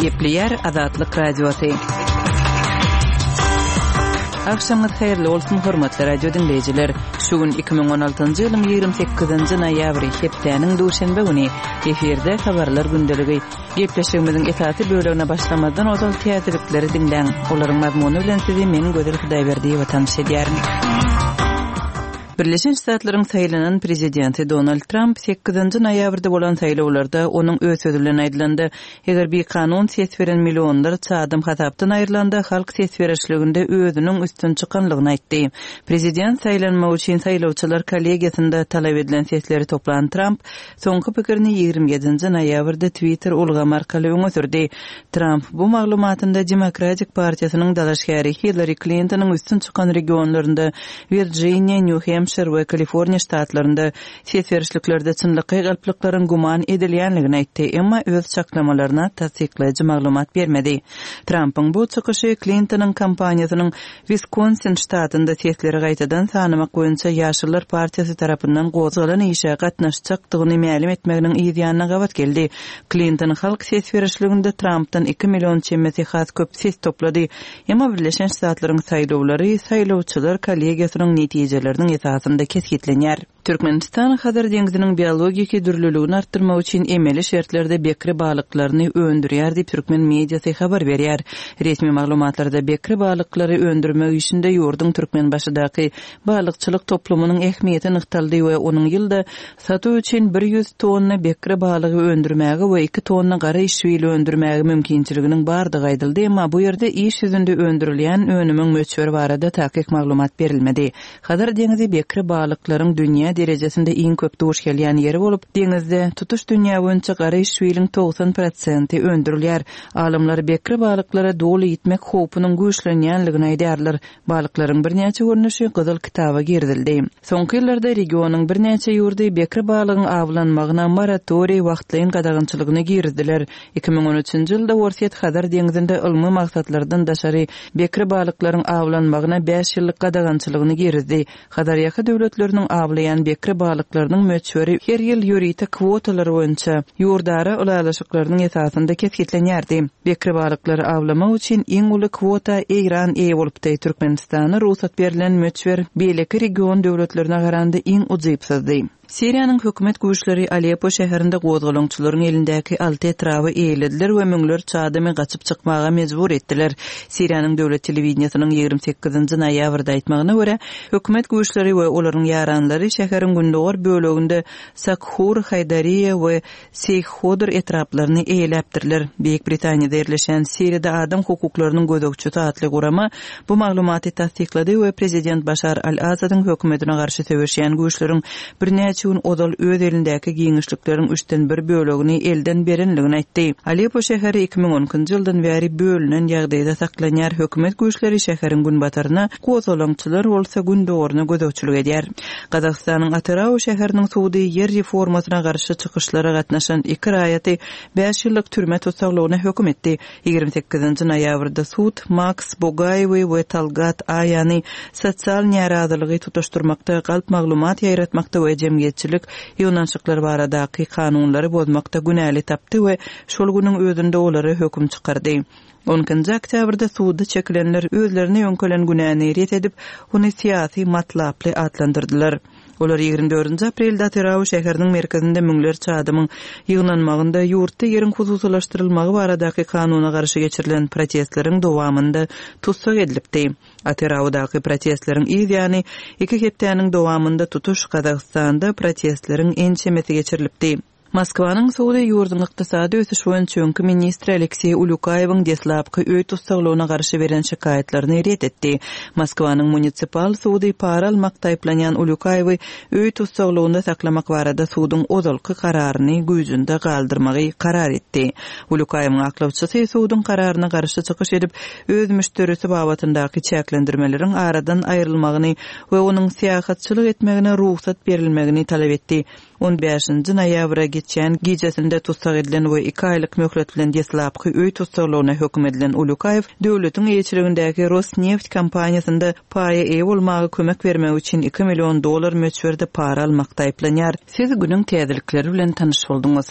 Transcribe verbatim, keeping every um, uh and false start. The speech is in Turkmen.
Gepleýär Azatlyk Radiosy. Agşamyňyz haýyrly bolsun, hormatly radio diňleýjiler. Şu gün iki müň on altynjy ýylyň ýigrimi sekizinji noýabry, hepdäniň duşenbe güni. Efirde Habarlar gündeligi. Gepleşigimiziň esasy bölegine başlamazdan ozal täzelikleri diňläň. Olaryň mazmuny bilen sizi men Gözel Hudaýberdiýewa tanyş edýärin. Birleşen Ştatlaryň saýlanan prezidenti Donald Tramp sekizinji noýabrda bolan saýlawlarda onuň öz sözi bilen aýdylanda, eger bikanun ses beren millionlarça adam hasapdan aýrylanda halk ses berişliginde özüniň üstün çykanlygyny aýtdy. Prezident saýlanmak üçin saýlawçylar kollegiýasynda talap edilen sesleri toplan Tramp soňky pikirini ýigrimi ýedinji noýabrda Twitter ulgamy arkaly öňe sürdi. Tramp bu maglumatynda Demokratik partiýasynyň dalaşgäri Hillary Klintonyň üstün çykan regionlarynda Wirjiniýa, Nýu-Hempşir we Kaliforniýa ştatlarynda ses berişliklerde çynlakaý galplyklaryň güman edilýänligini aýtdy, emma öz çaklamalaryna tassyklaýjy maglumat bermedi. Trampyň bu çykyşy Klintonyň kampaniýasynyň Wiskonsin ştatynda sesleri gaýtadan sanamak boýunça Ýaşyllar partiýasy tarapyndan gozgalan işe gatnaşjakdygyny mälim etmeginiň yz ýanyna gabat geldi. Klinton halk ses berişliginde Trampdan iki million çemesi has köp ses toplady. Emma Birleşen Ştatlaryň saýlawlary saýlawçylar kollegiýasynyň netijeleriniň esasynda kesgitlenýär. Türkmenistan Hazar deňziniň biologiki dürlüligini artdyrmak üçin emeli şertlerde bekre balyklaryny öndürýär diýip türkmen mediasy habar berýär. Resmi maglumatlarda bekre balyklary öndürmek işinde ýurduň Türkmenbaşydaky balykçylyk toplumynyň ähmiýeti nygtaldy we onuň ýylda satuw üçin bir ýüz tonna bekre balygy öndürmäge we iki tonna gara işwili öndürmäge mümkinçiliginiň bardygy aýdyldy, emma bu ýerde iş ýüzünde öndürilýän önümiň möçberi barada takyk maglumat berilmedi. Hazar deňzi bekre balyklaryň dünýä derejesinde iň köp duş gelýän ýeri bolup, deňizde tutuş dünýä boýunça gara işwiliň togsan prosenti öndürilýär. Alymlar bekre balyklara doly ýitmek howpunyň güýçlenýänligini aýdýarlar. Balyklaryň birnäçe görnüşi Gyzyl kitaba girizildi. Soňky ýyllarda regionyň birnäçe ýurdy bekre balygyň awlanmagyna moratoriý wagtlaýyn gadagançylygyny girizdiler. Iki müň on üçünji ýylda Orsýet Hazar deňzinde ylmy maksatlardan daşary bekre balyklaryň awlanmagyna bäş ýyllyk gadagançylygyny girizdi. Hazarýaka döwletleriniň awlaýan bekre balyklarynyň möçberi her ýyl ýörite kwotalar boýunça ýurdara ylalaşyklarynyň esasynda kesgitlenýärdi. Bekre balyklary awlamak üçin iň uly kwota Eýran eýe bolupdy. Türkmenistana rugsat berlen möçber beýleki region döwletlerine garanda iň ujypsyzdy. Siriýanyň hökümet güýçleri Aleppo şäherinde gozgalaňçylaryň elindäki alty etraby eýelediler we müňlerçe adamy gaçyp çykmaga mejbur etdiler. Siriýanyň döwlet telewideniýesiniň ýigrimi sekizinji noýabrda aýtmagyna görä, hökümet güýçleri we olaryň ýaranlary şäheriň gündogar böleginde Sakhur, Haýdariýa we Seýhodr etraplaryny eýeläpdirler. Beýik Britaniýada ýerleşen Siriýada adam hukuklarynyň gözegçisi atly gurama bu maglumaty tassyklady we prezident Başar al-Asadyň hökümetine garşy söweşýän güýçleriň birnäçe gün ozal öz elindäki giňişlikleriň üçden bir bölegini elden berenligini aýtdy. Aleppo şäheri iki müň on ikinji ýyldan bäri bölünen ýagdaýda saklanýar. Hökümet güýçleri şäheriň günbataryna, gozgalaňçylar bolsa gündogaryna gözegçilik edýär. Gazagystanyň Atyrau şäheriniň sudy ýer reformasyna garşy çykyşlara gatnaşan iki raýaty bäş ýyllyk türme tussaglygyna höküm etdi. Ýigrimi sekizinji noýabrda sud Maks Bogaýewi we Talgat Aýany sosial närazylygy tutuşdyrmakda, galp maglumat ýaýratmakda we jemgyýetçilik ýygnanyşyklar baradaky kanunlary bozmakda günäli tapdy we şol günüň özünde olara höküm çykardy. On ikinji oktýabrda suda çekilenler özlerine ýöňkelen günäni ret edip, ony syýasy matlaply atlandyrdylar. Olar ýigrimi dördünji aprelde Atyrau şäheriniň merkezinde müňlerçe adamyň ýygnanmagynda ýurtda ýeriň hususylaşdyrylmagy baradaky kanuna garşy geçirilen protestleriň dowamynda tussag edilipdi. Atyraudaky protestleriň yz ýany iki hepdäniň dowamynda tutuş Gazagystanda protestleriň ençemesi geçirilipdi. Moskwanyň sudy ýurduň ykdysady ösüş boýunça öňki ministri Alekseý Ulýukaýewiň deslapky öý tussaglygyna garşy beren şikaýatlaryny ret etdi. Moskwanyň munisipal sudy para almakda aýyplanýan Ulýukaýewi öý tussaglygynda saklamak barada suduň ozalky kararyny güýjünde galdyrmagy karar etdi. Ulýukaýewiň aklawçysy suduň kararyna garşy çykyş edip, öz müşderisi babatyndaky çäklendirmeleriň aradan aýrylmagyny we onuň syýahatçylyk etmegine rugsat berilmegini talap etdi. On bäşinji noýabra geçen gijesinde tussag edilen we iki aýlyk möhlet bilen deslapky öý tussaglygyna höküm edilen Ulýukaýew döwletiň eýeçiligindäki Rosneft kompaniýasynda paýa eýe bolmaga kömek bermek üçin iki million dollar möçberde para almakda aýyplanýar. Siz günüň täzelikleri bilen tanyş bolduňyz.